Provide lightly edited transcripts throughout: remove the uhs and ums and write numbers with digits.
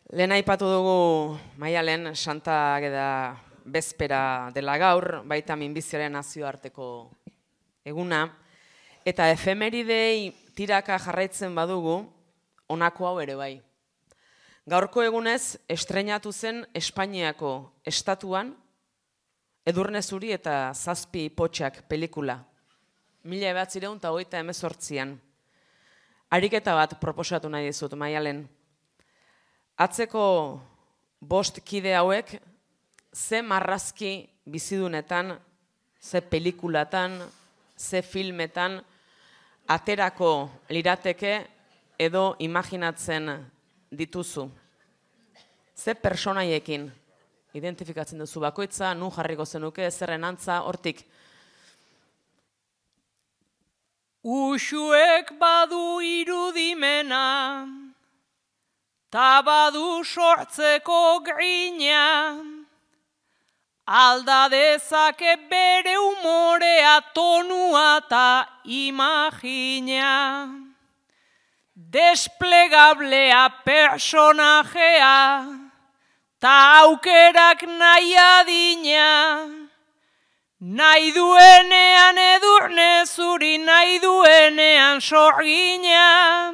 Lehen aipatu dugu Maialen Santa Ageda bezpera dela gaur, baita minbiziaren nazioarteko eguna, eta efemeridei tiraka jarraitzen badugu, honako hau ere bai. Gaurko egunez estreinatu zen Espainiako estatuan Edurne Zuri eta 7 potxak pelikula. 1928an. Ariketa bat proposatu nahi dizut, Maialen. Atzeko 5 kide hauek ze marrazki bizidunetan, ze pelikulatan, ze filmetan aterako lirateke edo imaginatzen dituzu. Ze personaiekin identifikatzen duzu bakoitza, nun jarriko zenuke, zerren antza, hortik. Uxuek badu irudimena, ta badu sortzeko grina, alda dezake bere umorea, tonua ta imagina. Desplegablea personajea, ta aukerak nahi adina, nahi duenean Edurne Zuri, nahi duenean Sorgina,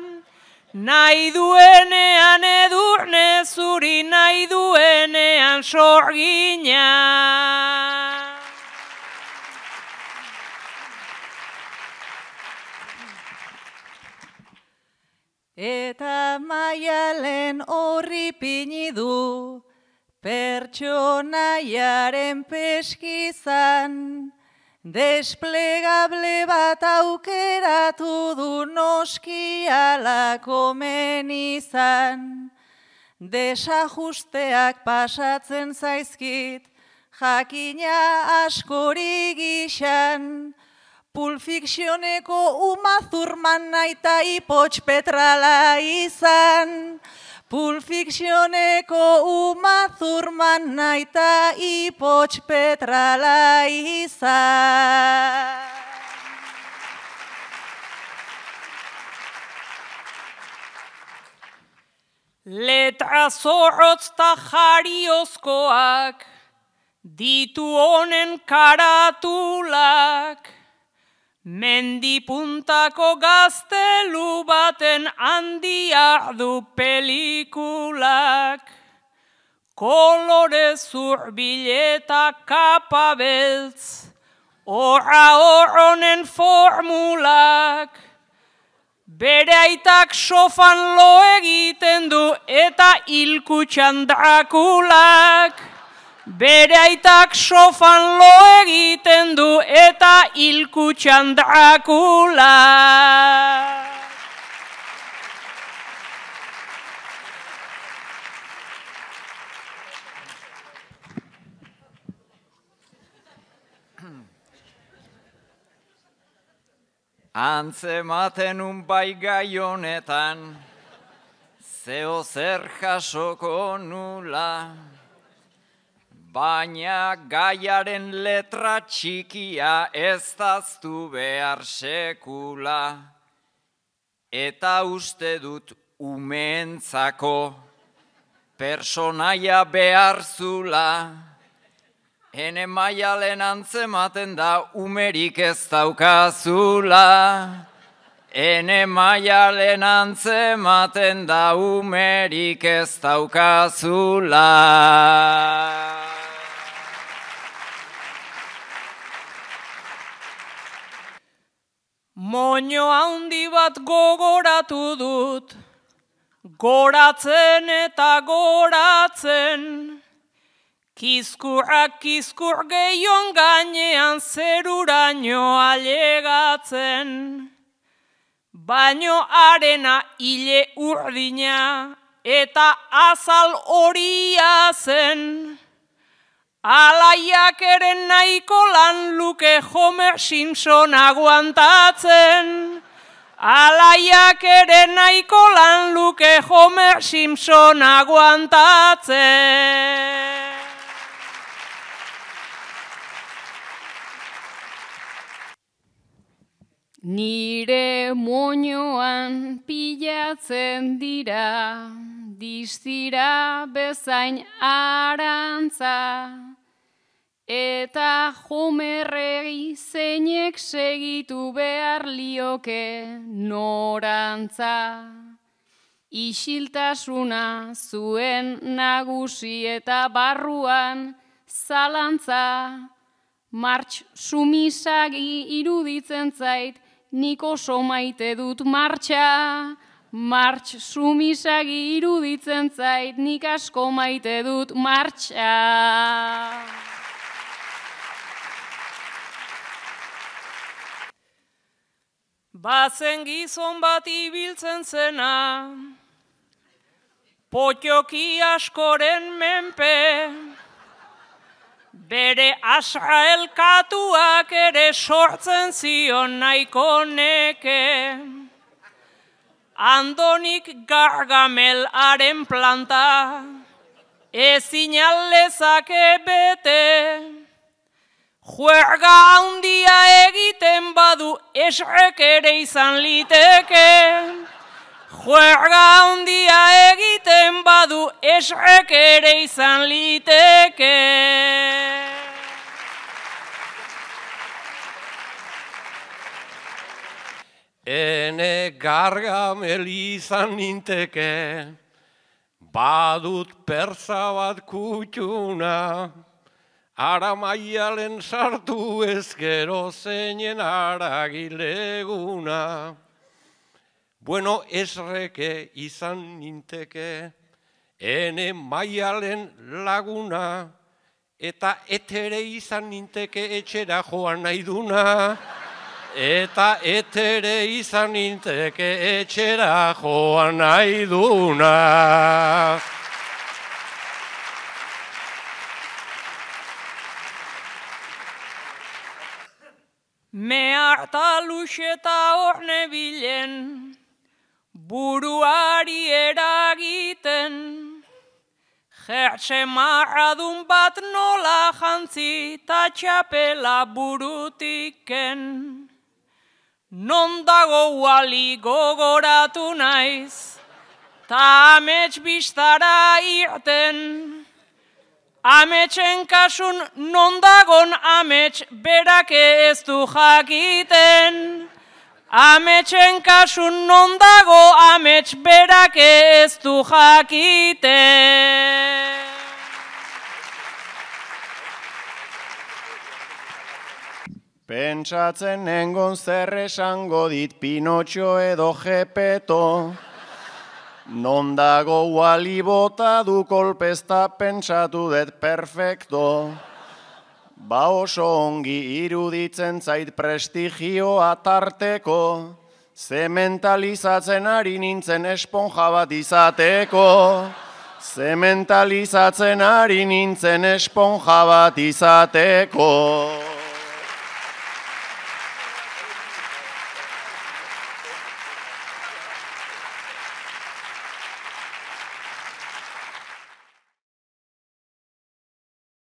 nahi duenean Edurne Zuri, nahi duenean Sorgina. Eta Maialen horri pini du, pertsonaiaren peskizan, desplegable bat aukeratu du noski ala komen izan. Desajusteak pasatzen zaizkit, jakina askori gixan, Pulp Fictioneko Uma Thurman naita Ipotx Petrala izan. Pulp Fictioneko Uma Thurman naita Ipotx Petrala izan. Letra zorrotz ta jariozkoak, ditu honen karatulak, mendipuntako gaztelu baten handia du pelikulak. Kolore zurbil eta kapa beltz, horra honen formulak. Bere aitak sofan lo egiten du eta hilkutxan Drakulak. Bere aitak sofan lo egiten du eta hilkutxan Drakulak. Antzematen bai gai honetan, zeo zer jasoko nula, baina gaiaren letra txikia ez daztu behar sekula, eta uste dut umeentzako personaia behar zula. Ene Maialen antzematen da umerik ez daukazula. Ene Maialen antzematen da umerik ez daukazula. Moño handi bat gogoratu dut, goratzen eta goratzen, kizkurrak kizkur gehion gainean zeruraino ailegatzen. Baino arena hile urdina eta azal horia zen. Alaiak ere nahiko lan luke Homer Simpson aguantatzen. Alaiak ere nahiko lan luke Homer Simpson aguantatzen. Nire moñoan pilatzen dira distira bezain arantza, eta jomerregi zeinek segitu behar lioke norantza. Isiltasuna zuen nagusi eta barruan zalantza, martx sumisagi iruditzen zait, nik oso maite dut martxa. Martx sumisagi iruditzen zait, nik asko maite dut martxa. Bazen gizon bat ibiltzen zena, potioki askoren menpe, bere asraelkatuak ere sortzen zion nahiko neke. Andonik Gargamelaren planta, ezin aldezake bete, juerga handia egiten badu esrek ere izan liteke. Juerga handia egiten badu esrek ere izan liteke. Ene Gargamel izan ninteke, badut persa bat kutxuna, ara maialen sartu ezkero zeinen aragileguna. Bueno, esreke izan ninteke, ene maialen laguna, eta etere izan ninteke etxera joan nahi duna. Eta etere izan ninteke etxera joan nahi duna. Me harta luxeta hor nebilen, buruari eragiten, jertxe marradun bat nola jantzi ta txapela burutiken. Non dago wali gogoratu naiz, ta amets bistara irten. Ametsen kasun non dagon amets berake ez du jakiten. Ametsen kasun non dago amets berake ez du jakiten. Pentsatzen nengon zer esango dit Pinotxo edo Gepeto. Non dago wali bota du kolpezta pentsatu dut perfecto. Ba oso ongi iruditzen zait prestigioa tarteko. Zementalizatzen ari nintzen esponja bat izateko. Zementalizatzen ari nintzen esponja bat izateko.